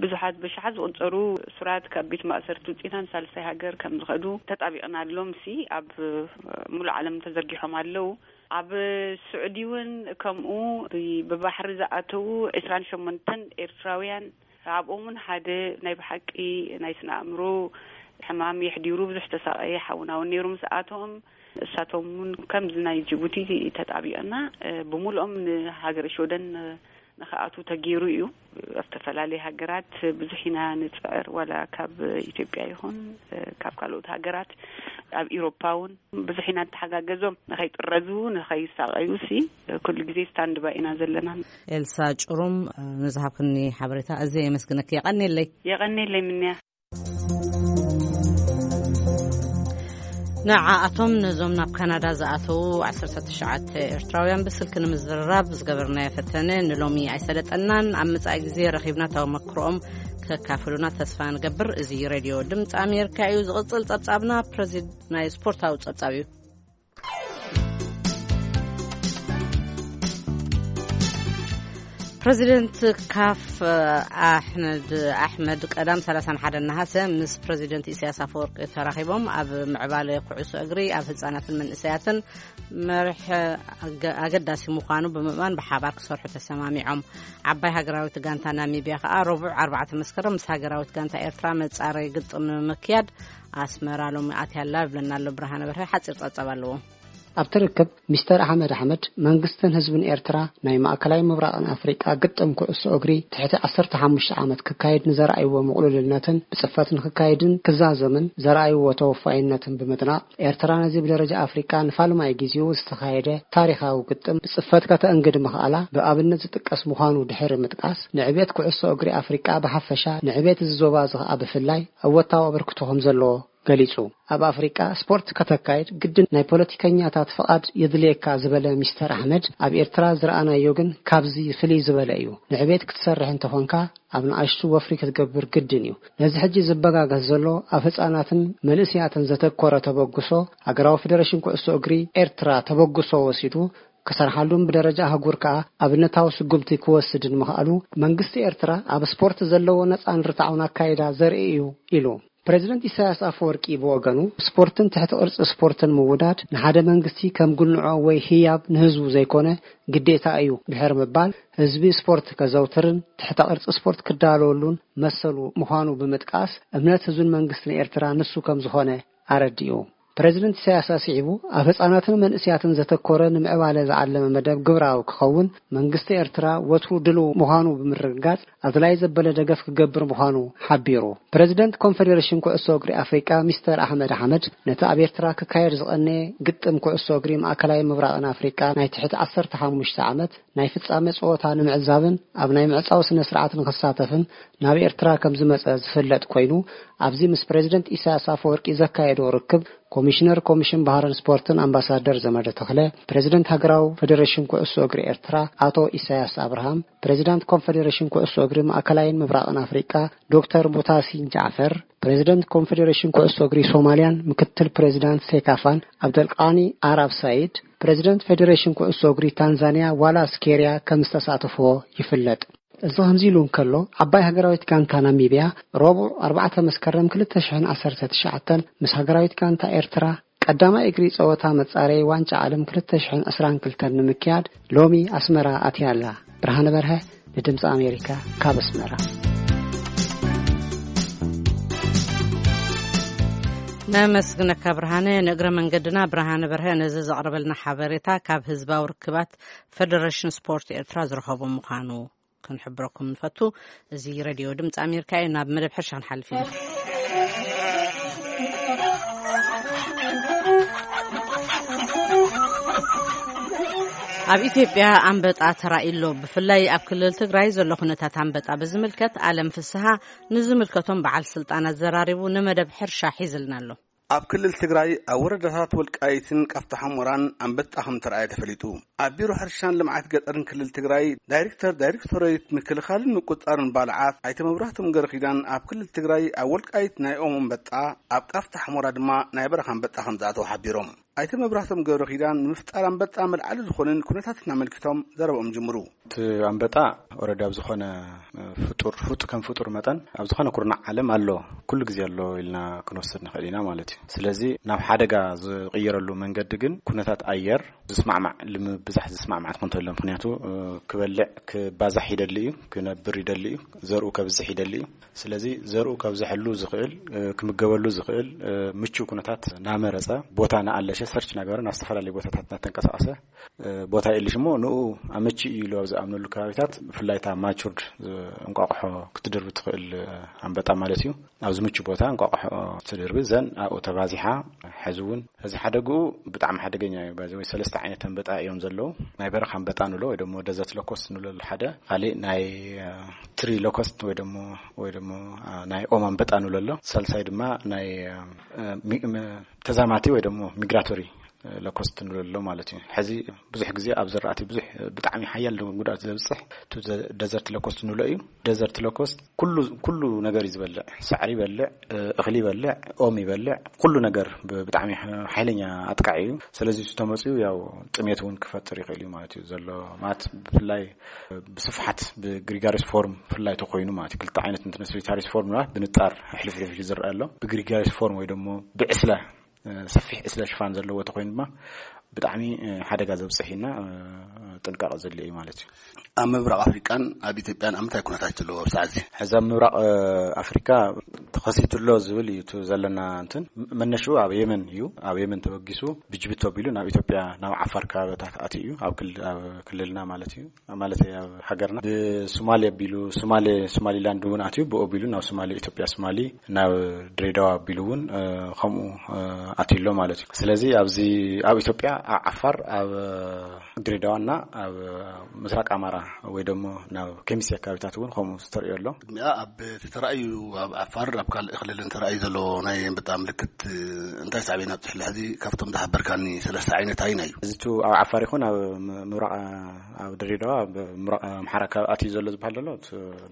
ብዙሓት ብሽሓት ዝቑጸሩ እሱራት ካብ ቤት ማእሰርቲ ውጺእና ንሳልሳይ ሃገር ከም ዝኸዱ ተጣቢቕናሎም ሲ ኣብ ሙሉእ ዓለም ተዘርጊሖም ኣለዉ። ኣብ ስዑዲ እውን ከምኡ ብ-፣ ብባሕሪ ዝኣተዉ ዕስራን ሸሞንተን ኤርትራውያን ኣብኦም እውን ሓደ ናይ ብሓቂ ናይ ስነ ኣእምሮ ሕማም የሕዲሩ ብዙሕ ተሳቐየ ሓውና እውን ነይሩ ምስ ኣቶም። እሳቶም እውን ከምዚ ናይ ጅቡቲ ተጣቢቕና፣ እ፣ ብምሉኦም ንሃገረ ሽወደን፣ እ፣ ንኽኣትዉ ተገይሩ እዩ። ኣብ ዝተፈላለየ ሃገራት ብዙሕ ኢና ንጽዕር፣ ዋላ ካብ ኢትዮጵያ ይኹን፣ እ፣ ካብ ካልኦት ሃገራት ኣብ ኢሮፓ እውን ብዙሕ ኢና ንተሓጋገዞም ንኸይጥረዙ፣ ንኸይሳቐዩ ሲ ኩሉ ግዜ ስታንድ ባይ ኢና ዘለና። ኤልሳ ጭሩም፣ እ፣ ንዝሃብክኒ ሓበሬታ ኣዝየ የመስግነኪ። የቐንየለይ። የቐንየለይ ምንያ። ንዓኣቶም ነዞም ናብ ካናዳ ዝኣተዉ ዓሰርተ ትሽዓተ ኤርትራውያን ብስልኪ ንምዝርራብ ዝገበርናዮ ፈተነ ንሎሚ ኣይሰለጠናን። ኣብ መጻኢ ግዜ ረኺብና ተመክሮኦም ከካፍሉና ተስፋ ንገብር። እዚ ሬድዮ ድምፂ ኣሜሪካ እዩ። ዝቕጽል ጸብጻብና ፕረዚድ-፣ ናይ ስፖርታዊ ጸብጻብ እዩ። ፕረዚደንት ካፍ ኣሕመድ ኣሕመድ ቀዳም ሰላሳን ሓደን ነሃሰ ምስ ፕረዚደንት ኢሳያስ ኣፈወርቂ ተራኺቦም ኣብ ምዕባለ ኩዕሶ እግሪ ኣብ ህጻናትን መንእሰያትን መርሒ ኣገ-፣ ኣገዳሲ ምዃኑ ብምእማን ብሓባር ክሰርሑ ተሰማሚዖም። ዓባይ ሃገራዊት ጋንታ ናሚብያ ከኣ ረቡዕ ኣርባዕተ መስከረም ምስ ሃገራዊት ጋንታ ኤርትራ መጻረይ ግጥም ንምክያድ ኣስመራ ሎሚ ኣትያ ኣላ። ይብለና ኣሎ ብርሃነ በርሀ፣ ሓጺር ጸብጻብ ኣለዎ። ኣብቲ ርክብ ሚስተር ኣሕመድ ኣሕመድ መንግስትን ህዝብን ኤርትራ ናይ ማእከላይ ምብራቕን ኣፍሪቃ ግጥም ኩዕሶ እግሪ ትሕቲ ዓሰርተ ሓሙሽተ ዓመት ክካየድ ንዘርኣይዎ ምቕሉልነትን ብጽፈት ንክካየድን ክዛዘምን ዘርኣይዎ ተወፋይነትን ብምድናቕ፣ ኤርትራ ነዚ ብደረጃ ኣፍሪቃ ንፋልማይ ግዜኡ ዝተኻየደ ታሪኻዊ ግጥም ብጽፈት ከተእንግድ ምኽኣላ ብኣብነት ዝጥቀስ ምዃኑ ድሕሪ ምጥቃስ፣ ንዕቤት ኩዕሶ እግሪ ኣፍሪቃ ብሓፈሻ ንዕቤት እዚ ዞባ እዚ ከኣ ብፍላይ እወታዊ ኣበርክቶ ከም ዘለዎ ገሊጹ። ኣብ ኣፍሪቃ ስፖርት ከተካይድ ግድን ናይ ፖለቲከኛታት ፍቓድ የድልየካ ዝበለ ሚስተር ኣሕመድ፣ ኣብ ኤርትራ ዝረኣናዮ ግን ካብዚ ፍልይ ዝበለ እዩ። ንዕቤት ክትሰርሕ እንተኾንካ ኣብ ንኣሽቱ ወፍሪ ክትገብር ግድን እዩ። ነዚ ሕጂ ዝበጋገስ ዘሎ ኣብ ህጻናትን መንእስያትን ዘተኮረ ተበግሶ፣ ሃገራዊ ፌደሬሽን ኩዕሶ እግሪ ኤርትራ ተበግሶ ወሲዱ ክሰርሓሉን ብደረጃ ኣህጉር ከኣ ኣብነታዊ ስጉምቲ ክወስድን ምኽኣሉ መንግስቲ ኤርትራ ኣብ ስፖርት ዘለዎ ነጻን ርትዓውን ኣካይዳ ዘርኢ እዩ ኢሉ። ፕረዚደንት ኢሳያስ ኣፈወርቂ ብወገኑ፣ ስፖርትን ትሕቲ ቅርጺ ስፖርትን ምውዳድ ንሓደ መንግስቲ ከም ጉንዖ ወይ ህያብ ንህዝቡ ዘይኮነ ግዴታ እዩ ድሕሪ ምባል፣ ህዝቢ ስፖርት ከዘውትርን ትሕተ ቅርጺ ስፖርት ክዳለወሉን መሰሉ ምዃኑ ብምጥቃስ፣ እምነት ህዝብን መንግስትን ኤርትራ ንሱ ከም ዝኾነ ኣረዲኡ። ፕረዚደንት ኢሳያስ ኣስዒቡ፣ ኣብ ህጻናትን መንእስያትን ዘተኮረ ንምዕባለ ዝዓለመ መደብ ግብራዊ ክኸውን መንግስቲ ኤርትራ ወትሩ ድልው ምዃኑ ብምርግጋጽ፣ ኣድላይ ዘበለ ደገፍ ክገብር ምዃኑ ሓቢሩ። ፕረዚደንት ኮንፈደሬሽን ኩዕሶ እግሪ ኣፍሪቃ ሚስተር ኣሕመድ ኣሕመድ፣ ነቲ ኣብ ኤርትራ ክካየድ ዝቐነየ ግጥም ኩዕሶ እግሪ ማእከላይ ምብራቕን ኣፍሪቃ ናይ ትሕቲ ዓሰርተ ሓሙሽተ ዓመት ናይ ፍጻመ ጸወታ ንምዕዛብን ኣብ ናይ ምዕጻው ስነ ስርዓት ንኽሳተፍን ናብ ኤርትራ ከም ዝመጸ ዝፍለጥ ኮይኑ፣ ኣብዚ ምስ ፕረዚደንት ኢሳያስ ኣፈወርቂ ዘካየዶ ርክብ፣ ኮሚሽነር ኮሚሽን ባህርን ስፖርትን ኣምባሳደር ዘመደ ተኽለ፣ ፕረዚደንት ሃገራዊ ፌደሬሽን ኩዕሶ እግሪ ኤርትራ ኣቶ ኢሳያስ ኣብርሃም፣ ፕረዚዳንት ኮንፈደሬሽን ኩዕሶ እግሪ ማእከላይን ምብራቕን ኣፍሪቃ ዶክተር ሙታሲን ጃዕፈር፣ ፕረዚደንት ኮንፈደሬሽን ኩዕሶ እግሪ ሶማልያን ምክትል ፕረዚዳንት ሴካፋን ኣብደልቃኒ ኣራብ ሳይድ፣ ፕረዚደንት ፌደሬሽን ኩዕሶ እግሪ ታንዛንያ ዋላስ ኬርያ ከም ዝተሳተፍዎ ይፍለጥ። እዚ ከምዚ ኢሉ እንከሎ፣ ዓባይ ሃገራዊት ጋንታ ናሚብያ ረቡዕ ኣርባዕተ መስከረም ክልተ ሽሕን ዓሰርተ ትሽዓተን ምስ ሃገራዊት ጋንታ ኤርትራ ቀዳማይ እግሪ ጸወታ መጻረዪ ዋንጫ ዓለም ክልተ ሽሕን ዕስራን ክልተን ንምክያድ ሎሚ ኣስመራ ኣትያ ኣላ። ብርሃነ በርሀ ንድምፂ ኣሜሪካ ካብ ኣስመራ። ነመስግነካ ብርሃነ። ንእግረ መንገድና ብርሃነ በርሀ ነዚ ዘቕረበልና ሓበሬታ ካብ ህዝባዊ ርክባት ፌደሬሽን ስፖርት ኤርትራ ዝረኸቦ ምዃኑ ክንሕብረኩም ንፈቱ። እዚ ሬድዮ ድምፂ ኣሜሪካ እዩ። ናብ መደብ ሕርሻ ክንሓልፍ ኢና። ኣብ ኢትዮጵያ ኣንበጣ ተራእዩ ኣሎ። ብፍላይ ኣብ ክልል ትግራይ ዘሎ ኩነታት ኣንበጣ ብዝምልከት ኣለም ፍስሃ ንዝምልከቶም በዓል ስልጣን ኣዘራሪቡ ንመደብ ሕርሻ ሒዝልና ኣሎ። ኣብ ክልል ትግራይ ኣብ ወረዳታት ወልቃይትን ቃፍታ ሑመራን ኣንበጣ ከም ተራእየ ተፈሊጡ። ኣብ ቢሮ ሕርሻን ልምዓት ገጠርን ክልል ትግራይ ዳይሬክተር ዳይሬክቶሬት ምክልኻልን ምቁፅፃርን ባልዓት ኣይተ መብራህቶም ገረኺዳን ኣብ ክልል ትግራይ ኣብ ወልቃይት ናይ ኦም ኣንበጣ፣ ኣብ ቃፍታ ሑመራ ድማ ናይ በረኻ ኣንበጣ ከም ዝኣተወ ሓቢሮም። ኣይተ መብራህቶም ገብረ ኪዳን ንምፍጣር ኣንበጣ መልዓሊ ዝኾነን ኩነታትን ኣመልኪቶም ዘረብኦም ጅምሩ። እቲ ኣንበጣ ኦረዲ ኣብ ዝኾነ ፍጡር ፍጡ ከም ፍጡር መጠን ኣብ ዝኾነ ኩርናዕ ዓለም ኣሎ፣ ኩሉ ግዜ ኣሎ ኢልና ክንወስድ ንኽእል ኢና ማለት እዩ። ስለዚ ናብ ሓደጋ ዝቕየረሉ መንገዲ ግን ኩነታት ኣየር ዝስማዕማዕ፣ ልምብዛሕ ዝስማዕማዕ ትኾን ተሎ። ምኽንያቱ ክበልዕ ክባዛሕ ይደሊ እዩ፣ ክነብር ይደሊ እዩ፣ ዘርኡ ከብዝሕ ይደሊ እዩ። ስለዚ ዘርኡ ከብዝሐሉ ዝኽእል፣ ክምገበሉ ዝኽእል ምቹው ኩነታት ናመረጸ፣ ቦታ ናኣለሸ፣ ሰርች ናገበረ፣ ናብ ዝተፈላለዩ ቦታታት ናተንቀሳቐሰ፣ ቦታ የልሽ እሞ ንኡ ኣመቺ እዩ ኢሉ ኣብ ዝኣምነሉ ከባቢታት፣ ብፍላይ እታ ማቹርድ እንቋቑሖ ክትድርቢ ትኽእል ኣንበጣ ማለት እዩ። ኣብዚ ምቹ ቦታ እንቋቑሖ ትድርቢ፣ ዘን ኣብኡ ተባዚሓ። ሕዚ እውን እዚ ሓደግኡ ብጣዕሚ ሓደገኛ እዩ። ባዚ ወይ ሰለስተ ዓይነት ኣንበጣ እዮም ዘለዉ። ናይ በረኻ ኣንበጣ ንብሎ ወይ ደሞ ደዘርት ሎኮስት ንብሎ ሓደ፣ ካሊእ ናይ ትሪ ሎኮስት ወይ ደሞ ወይ ደሞ ናይ ኦም ኣንበጣ ንብሎ ኣሎ። ሳልሳይ ድማ ናይ ተዛማቲ ወይ ደሞ ሚግራቶሪ ሎኮስት ንብሎ ኣሎ ማለት እዩ። ሕዚ ብዙሕ ግዜ ኣብ ዝራእቲ ብዙሕ ብጣዕሚ ሓያል ጉድኣት ዘብፅሕ ደዘርት ሎኮስት ንብሎ እዩ። ደዘርት ሎኮስት ኩሉ ኩሉ ነገር እዩ ዝበልዕ። ሳዕሪ ይበልዕ፣ እኽሊ ይበልዕ፣ ኦም ይበልዕ፣ ኩሉ ነገር ብጣዕሚ ሓይለኛ ኣጥቃዒ እዩ። ስለዚ እሱ ተመፅኡ ያው ጥሜት እውን ክፈጥር ይኽእል እዩ ማለት እዩ ዘሎ። ማለት ብፍላይ ብስፍሓት ብግሪጋሪስ ፎርም ብፍላይ ተኮይኑ ማለት እዩ። ክልተ ዓይነት እንትን ሶሊታሪስ ፎርም ማለት ብንጣር ሕልፍልፍ ዝረአ ኣሎ። ብግሪጋሪስ ፎርም ወይ ደሞ ብዕስለ ሰፊሕ ዕስለ ሽፋን ዘለዎ ተኮይኑ ድማ ብጣዕሚ ሓደጋ ዘብፅሕ ኢና። ጥንቃቐ ዘድልዮ እዩ ማለት እዩ። ኣብ ምብራቕ ኣፍሪቃን ኣብ ኢትዮጵያን ኣብ ምንታይ ኩነታት ዘለዎ ኣብ ሰዓት እዚ? ሕዚ ኣብ ምብራቕ ኣፍሪካ ተኸሲቱ ኣሎ ዝብል እዩ እቲ ዘለና እንትን። መነሽኡ ኣብ የመን እዩ። ኣብ የመን ተበጊሱ ብጅቡቲ ኣቢሉ ናብ ኢትዮጵያ ናብ ዓፋር ከባቢታት ኣትዩ እዩ፣ ኣብ ክልልና ማለት እዩ። ማለት ኣብ ሃገርና ብሶማሌ ኣቢሉ ሶማሌ ሶማሊላንድ እውን ኣትዩ፣ ብኡ ኣቢሉ ናብ ሶማሌ ኢትዮጵያ ሶማሊ ናብ ድሬዳዋ ኣቢሉ እውን ከምኡ ኣትዩ ኣሎ ማለት እዩ። ስለዚ ኣብዚ ኣብ ኢትዮጵያ ኣብ ዓፋር ኣብ ድሬዳዋና ኣብ ምስራቅ ኣማራ ወይ ደሞ ናብ ከሚሴ ኣካባቢታት እውን ከምኡ ዝተርእዮ ኣሎ። ቅድሚኣ ኣብ ተተራእዩ ኣብ ዓፋር ኣብ ካልእ ክልልን ተራእዩ ዘሎ ናይ ኣንበጣ ምልክት እንታይ ሳዕቤን ኣብፅሕላ? ሕዚ ካብቶም ዝሓበርካኒ ሰለስተ ዓይነት ኣይና እዩ። እዚ ኣብ ዓፋር ይኹን ኣብ ምብራቕ ኣብ ድሬዳዋ ኣብ ምብራቕ ኣምሓራ ኣካባቢ ኣትዩ ዘሎ ዝበሃል ዘሎ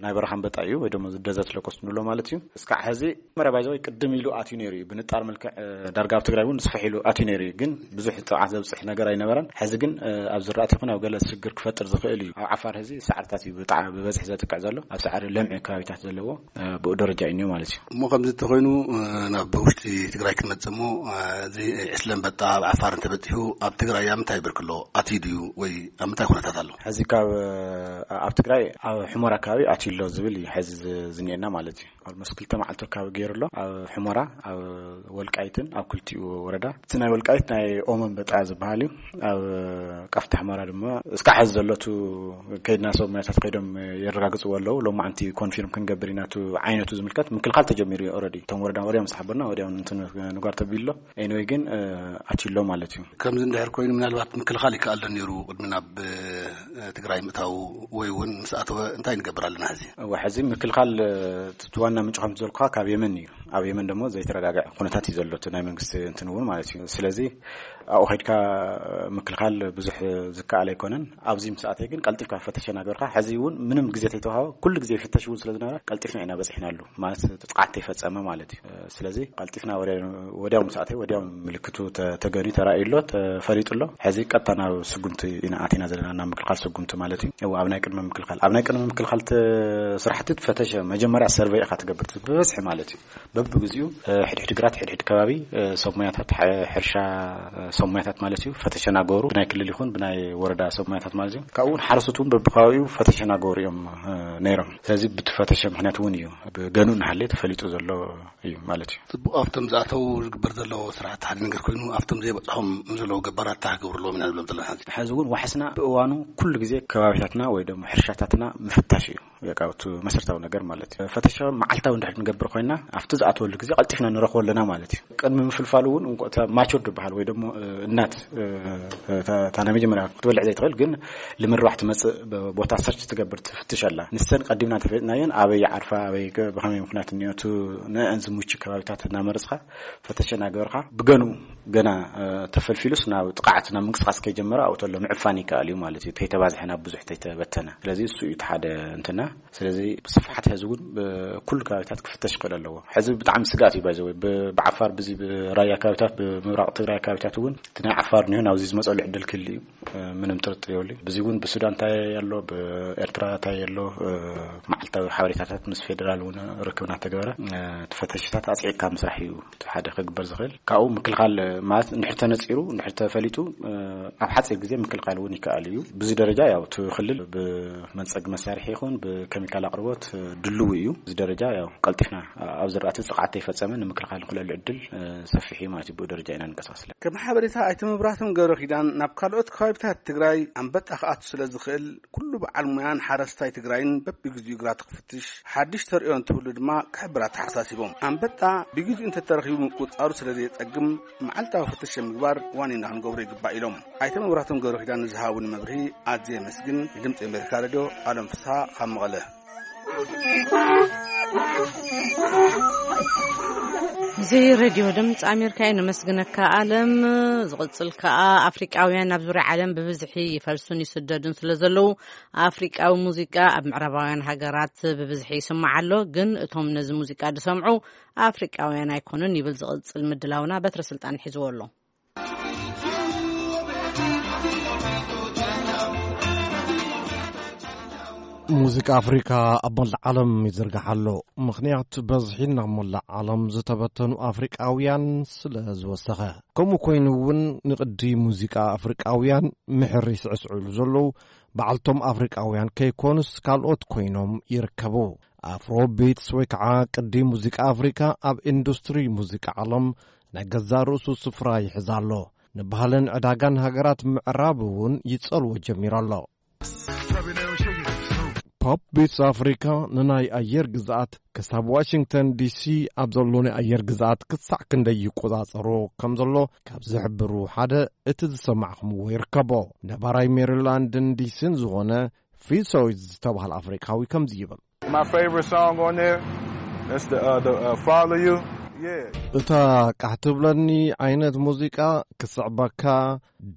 ናይ በረኻ ኣንበጣ እዩ ወይ ደሞ ደዘርት ሎኮስት ንብሎ ማለት እዩ። እስካዕ ሕዚ መረባይ ዘወይ ቅድም ኢሉ ኣትዩ ነይሩ እዩ። ብንጣር መልክዕ ዳርጋ ኣብ ትግራይ እውን ስፍሕ ኢሉ ኣትዩ ነይሩ እዩ። ግን ብዙሕ ጥቕዓት ዘብፅሕ ነገር ኣይነበረን። ሕዚ ግን ኣብ ዝራእቲ ይኹን ኣብ ገለ ሽግር ክፈጥር ዝኽእል እዩ። ኣብ ዓፋር ሕዚ ሳዕርታት እዩ ብጣዕሚ ብበዝሒ ዘጥቅዕ ዘሎ። ኣብ ሳዕሪ ለምዒ ከባቢታት ዘለዎ ብኡ ደረጃ እዩ ማለት እዩ። እሞ ከምዚ እንተኾይኑ ናብ ውሽጢ ትግራይ ክንመጽእ እሞ እዚ ዕስለ ኣንበጣ ኣብ ዓፋር እንተበጺሑ ኣብ ትግራይ ኣብ ምንታይ ብርክ ኣሎ? ኣትዩ ድዩ ወይ ኣብ ምንታይ ኩነታት ኣሎ? ሕዚ ካብ ኣብ ትግራይ ኣብ ሕሞራ ኣካባቢ ኣትዩ ኣሎ ዝብል እዩ ሕዚ ዝኒኤና ማለት እዩ። ኣልሞስት ክልተ መዓልቲ ኣካባቢ ገይሩ ኣሎ ኣብ ሕሞራ ኣብ ወልቃይትን ኣብ ክልቲኡ ወረዳ። እቲ ናይ ወልቃይት ናይ ኦም ኣንበጣ ዝበሃል እዩ። ኣብ ቃፍታ ሕሞራ ድማ እስካዕ ሕዚ ዘሎ እቲ ከይድና ሰብ ሞያታት ከይዶም የረጋግፅዎ ኣለዉ። ሎማዓንቲ ኮንፊርም ክንገብር ኢና። እቲ ዓይነቱ ዝምልከት ምክልኻል ተጀሚሩ እዩ። ኦረዲ እቶም ወረዳ ወዲያም ዝተሓበርና ወዲያም እንትን ንጓር ተቢሉ ኣሎ። ኤኒወይ ግን ኣትዩ ኣሎ ማለት እዩ። ከምዚ እንድሕር ኮይኑ ምናልባት ምክልኻል ይከኣል ዶ ነይሩ ቅድሚ ናብ ትግራይ ምእታው ወይ እውን ምስ ኣተወ እንታይ ንገብር ኣለና ሕዚ? እዋ ሕዚ ምክልኻል እቲ ዋና ምንጭ ከምቲ ዘልኩኻ ካብ የመን እዩ። ኣብ የመን ደሞ ዘይተረጋግዐ ኩነታት እዩ ዘሎ እቲ ናይ መንግስቲ እንትን እውን ማለት እዩ። ስለዚ ኣብኡ ከድካ ምክልኻል ብዙሕ ዝከኣል ኣይኮነን። ኣብዚ ምስ ኣተየ ግን ቀልጢፍካ ፈተሸ ናገርካ ሕዚ እውን ምንም ግዜ ተይተዋሃበ ኩሉ ግዜ ይፍተሽ እውን ስለ ዝነበረ ቀልጢፍና ኢና በፂሕናሉ ማለት ጥቕዓት ተይፈፀመ ማለት እዩ። ስለዚ ቀልጢፍና ወዲያው ምስ ኣተየ ወዲያው ምልክቱ ተገንዩ ተራእዩ ኣሎ፣ ተፈሊጡ ኣሎ። ሕዚ ቀጥታ ናብ ስጉምቲ ኢና ኣቲና ዘለና፣ ናብ ምክልኻል ስጉምቲ ማለት እዩ። ኣብ ናይ ቅድመ ምክልኻል ኣብ ናይ ቅድመ ምክልኻል ስራሕቲ ፈተሸ መጀመርያ ሰርቨይ ኢኻ ትገብር ብበዝሒ ማለት እዩ። በብግዚኡ ሕድሕድ ግራት ሕድሕድ ከባቢ ሰብ ሞያታት ሕርሻ ሰብ ሞያታት ማለት እዩ ፈተሸ ናገሩ ብናይ ክልል ይኹን ብናይ ወረዳ ሰብ ሞያታት ማለት እዩ። ካብኡ እውን ሓረስቶት እውን በብከባቢኡ ፈተሸ ናገሩ እዮም ነይሮም። ስለዚ ብትፈተሸ ምክንያት እውን እዩ ብገንኡ እናሃለየ ተፈሊጡ ዘሎ እዩ ማለት እዩ። ጽቡቕ፣ ኣብቶም ዝኣተው ዝግበር ዘሎ ስራሕቲ ሓደ ነገር ኮይኑ ኣብቶም ዘይበጽሖም ዘለዉ ገባራት እንታይ ክገብሩ ኣለዎም ኢና ንብሎም ዘለና? ሕዚ እውን ዋሕስና ብእዋኑ ኩሉ ግዜ ከባቢታትና ወይ ደሞ ሕርሻታትና ምፍታሽ እዩ። በቃ እቲ መሰረታዊ ነገር ማለት እዩ። ፈተሻ መዓልታዊ እንድሕር ንገብር ኮይና ኣብቲ ኣትወሉ ግዜ ቀልጢፍና ንረኽቦ ኣለና ማለት እዩ። ቅድሚ ምፍልፋሉ እውን እንቆ-፣ እታ ማቹር ዝበሃል ወይ ደሞ፣ እ፣ እናት፣ እ፣ እታ፣ እታ ናይ መጀመርያ ክትበልዕ ዘይትኽእል ግን ልምርባሕ ትመጽእ ብ-፣ ቦታ ሰርች ትገብር ትፍትሽ ኣላ። ንሰን ቀዲምና ተፈጥናየን ኣበይ ዓርፋ፣ ኣበይ ገ-፣ ብኸመይ ምኽንያት እኒኦቱ ንአን ዝምቹ ከባቢታት እናመረጽካ ፈተሸ እናገበርካ ብገኑ ገና፣ እ፣ ተፈልፊሉስ ናብ ጥቕዓት ናብ ምንቅስቃስ ከይጀመረ ኣብኡ ተሎ ምዕፋን ይከኣል እዩ ማለት እዩ። ተይተባዝሐ ናብ ብዙሕ ተይተበተነ። ስለዚ እሱ እዩ እቲ ሓደ እንትና። ስለዚ ብስፍሓት ሕዚ እውን ብኩሉ ከባቢታት ክፍተሽ ይኽእል ኣለዎ። ሕዚ ብጣዕሚ ስጋት እዩ ባይዘወ። ብ-፣ ብዓፋር ብዚ ብራያ ከባቢታት፣ ብምብራቕ ትግራይ ከባቢታት እውን እቲ ናይ ዓፋር እኒሆ ናብዚ ዝመፀሉ ዕድል ክህሉ እዩ። እ፣ ምንም ጥርጥር የብሉ። ብዚ እውን ብሱዳን እንታይ ኣሎ፣ ብኤርትራ እንታይ ኣሎ፣ እ፣ መዓልታዊ ሓበሬታታት ምስ ፌዴራል እውን ርክብ እናተገበረ፣ እ፣ እቲ ፈተሽታት ኣፅዒቕካ ምስራሕ እዩ እቲ ሓደ ክግበር ዝኽእል። ካብኡ ምክልኻል ማለት እንድሕር ተነፂሩ፣ እንድሕር ተፈሊጡ፣ እ፣ ኣብ ሓፂር ግዜ ምክልኻል እውን ይከኣል እዩ። ብዚ ደረጃ ያው እቲ ክልል ብመንፀጊ መሳርሒ ይኹን ብኬሚካል ኣቕርቦት፣ እ፣ ድልው እዩ። ብዚ ደረጃ ያው ቀልጢፍና ኣብ ዝራእቲ ጥቕዓት ተይፈጸመ ንምክልኻል ንኽእለሉ ዕድል፣ እ፣ ሰፊሕ እዩ ማለት እዩ። ብኡ ደረጃ ኢና ንንቀሳቐስ። ከም ሓበሬታ ኣይተ መብራህቶም ገብረ ኪዳን፣ ናብ ካልኦት ከባቢታት ትግራይ ኣንበጣ ክኣቱ ስለ ዝኽእል፣ ኩሉ በዓል ሞያን ሓረስታይ ትግራይን በብግዚኡ ግራቱ ክፍትሽ፣ ሓድሽ ተርእዮ እንትህሉ ድማ ክሕብር ኣተሓሳሲቦም። ኣንበጣ ብግዚኡ እንተተረኺቡ ምቁጽጻሩ ስለ ዘየጸግም፣ መዓልታዊ ፍተሻ ምግባር ዋኒና ክንገብሮ ይግባእ ኢሎም። ኣይተ መብራህቶም ገብረ ኪዳን ንዝሃቡኒ መብርሂ ኣዝየ የመስግን። ንድምፂ ኣሜሪካ ሬድዮ ኣለም ፍስሃ ካብ መቐለ። እዚ ሬድዮ ድምፂ ኣሜሪካ እዩ። ነመስግነካ ኣለም። ዝቕፅል ከኣ ኣፍሪቃውያን ናብ ዙርያ ዓለም ብብዝሒ ይፈልሱን ይስደዱን ስለ ዘለዉ ኣፍሪቃዊ ሙዚቃ ኣብ ምዕራባውያን ሃገራት ብብዝሒ ይስማዕ ኣሎ። ግን እቶም ነዚ ሙዚቃ ዝሰምዑ ኣፍሪቃውያን ኣይኮኑን ይብል ዝቕፅል ምድላውና። በትረ ስልጣን ሒዝዎ ኣሎ። ሙዚቃ ኣፍሪካ ኣብ መላእ ዓለም ይዝርጋሕ ኣሎ። ምኽንያት በዝሒ ናብ መላእ ዓለም ዝተበተኑ ኣፍሪቃውያን ስለ ዝወሰኸ። ከምኡ ኮይኑ እውን ንቅዲ ሙዚቃ ኣፍሪቃውያን ምሕር ይስዕስዑሉ ዘለዉ በዓልቶም ኣፍሪቃውያን ከይኮኑስ ካልኦት ኮይኖም ይርከቡ። ኣፍሮ ቢትስ ወይ ከዓ ቅዲ ሙዚቃ ኣፍሪካ ኣብ ኢንዱስትሪ ሙዚቃ ዓለም ናይ ገዛእ ርእሱ ስፍራ ይሕዝ ኣሎ። ንባህልን ዕዳጋን ሃገራት ምዕራብ እውን ይጸልዎ ጀሚሩ ኣሎ። ፖፕ ቢትስ ኣፍሪካ ንናይ ኣየር ግዝኣት ክሳብ ዋሽንግተን ዲሲ ኣብ ዘሎ ናይ ኣየር ግዝኣት ክሳዕ ክንደይ ይቆጻጸሮ ከም ዘሎ ካብ ዝሕብሩ ሓደ እቲ ዝሰማዕኹምዎ ይርከቦ። ነባራይ ሜሪላንድን ዲሲን ዝኾነ ፊሶ ዝተባህለ ኣፍሪካዊ ከምዚ ይብል። My favorite song on there, that's the, uh, the, uh, Follow You. Yeah. እታ ቃሕ ትብለኒ ዓይነት ሙዚቃ ክስዕበካ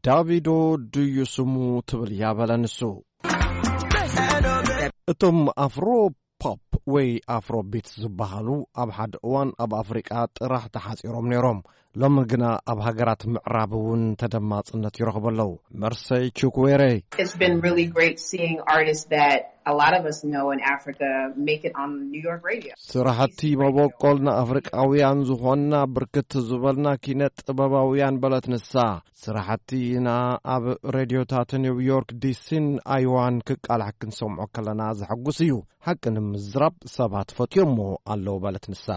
ዳቪዶ ድዩ ስሙ ትብል እያ በለ ንሱ። እቶም ኣፍሮ ፖፕ ወይ ኣፍሮ ቢትስ ዝበሃሉ ኣብ ሓደ እዋን ኣብ ኣፍሪቃ ጥራሕ ተሓጺሮም ነይሮም። ሎሚ ግና ኣብ ሃገራት ምዕራብ እውን ተደማጽነት ይረኽቡ ኣለዉ። መርሰይ ቹክዌሬ። It's been really great seeing artists that a lot of us know in Africa make it on New York radio. ስራሕቲ መበቆል ንኣፍሪቃውያን ዝኾንና ብርክት ዝበልና ኪነ ጥበባውያን በለት ንሳ። ስራሕቲና ኣብ ሬድዮታት ኒውዮርክ፣ ዲሲን ኣይዋን ክቃላሕ ክንሰምዖ ከለና ዘሐጉስ እዩ። ሓቂ ንምዝራብ ሰባት ፈትዮሞ ኣለዉ በለት ንሳ።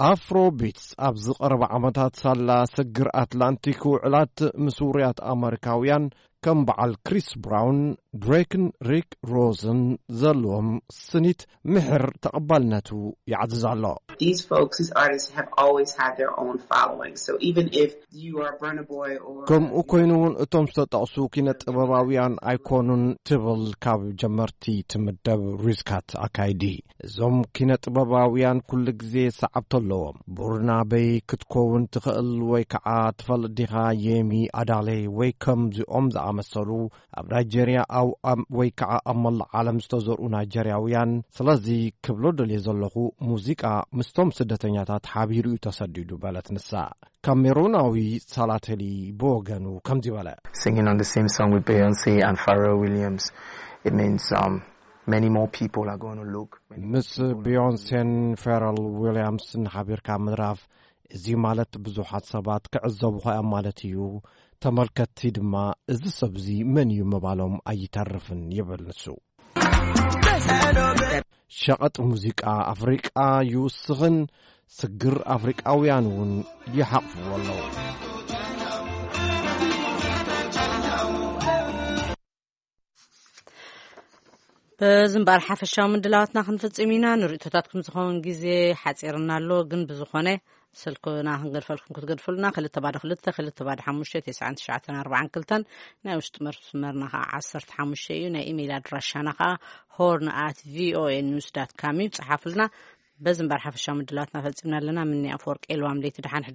ኣፍሮ ቢትስ ኣብዚ ቀረባ ዓመታት ሳላ ስግር ኣትላንቲክ ውዕላት ምስ ውሩያት ኣመሪካውያን ከም በዓል ክሪስ ብራውን፣ ድሬክን ሪክ ሮዝን ዘለዎም ስኒት ምሕር ተቐባልነቱ ይዓዝዝ ኣሎ። These folks, these artists have always had their own following. So even if you are Burna Boy or ከምኡ ኮይኑ እውን እቶም ዝተጠቕሱ ኪነ ጥበባውያን ኣይኮኑን ትብል ካብ ጀመርቲ ትምደብ ሪዝካት ኣካይዲ። እዞም ኪነ ጥበባውያን ኩሉ ግዜ ሰዓብቲ ኣለዎም። ቡርና በይ ክትከውን ትኽእል ወይ ከዓ ትፈልጥ ዲኻ የሚ ኣዳሌ ወይ ከምዚኦም ዝኣመሰሉ ኣብ ናይጀርያ ኣብ፣ ኣብ፣ ወይ ከዓ ኣብ መላእ ዓለም ዝተዘርኡ ናይጀርያውያን። ስለዚ ክብሎ ደልየ ዘለኹ ሙዚቃ ምስቶም ስደተኛታት ሓቢሩ እዩ ተሰዲዱ በለት ንሳ። ካሜሩናዊ ሳላተሊ ብወገኑ ከምዚ በለ። Singing on the same song with Beyonce and Pharrell Williams, it means, um, many more people are going to look. ምስ ቢዮንሴን ፌረል ዊልያምስን ሓቢርካ ምድራፍ፣ እዚ ማለት ብዙሓት ሰባት ክዕዘቡኻ እዮም ማለት እዩ። ተመልከትቲ ድማ እዚ ሰብዚ መን እዩ ምባሎም ኣይተርፍን ይብል ንሱ። ሸቐጥ ሙዚቃ ኣፍሪቃ ይውስኽን ስግር ኣፍሪቃውያን እውን ይሓቕፍዎ ኣለዉ። በዚ እምበኣር ሓፈሻዊ ምድላዋትና ክንፍጽም ኢና። ንርእቶታትኩም ዝኸውን ግዜ ሓጺርና ኣሎ፣ ግን ብዝኾነ ስልክና ክንገድፈልኩም ክትገድፉልና፣ ክልተ ባዶ ክልተ፣ ክልተ ባዶ ሓሙሽተ፣ ተስዓን ትሽዓተን ኣርባዓን ክልተን፣ ናይ ውሽጢ መስመርና ኸዓ ዓሰርተ ሓሙሽተ እዩ። ናይ ኢሜይል ኣድራሻና ኸዓ ሆርን ኣት ቪኦኤ ኒውስ ዳት ካም እዩ። ጸሓፉልና። በዚ እምበኣር ሓፈሻዊ ምድላዋትና ፈጺምና ኣለና። ምኒ ኣፈወርቂ ኤልዋም ለይቲ ደሓን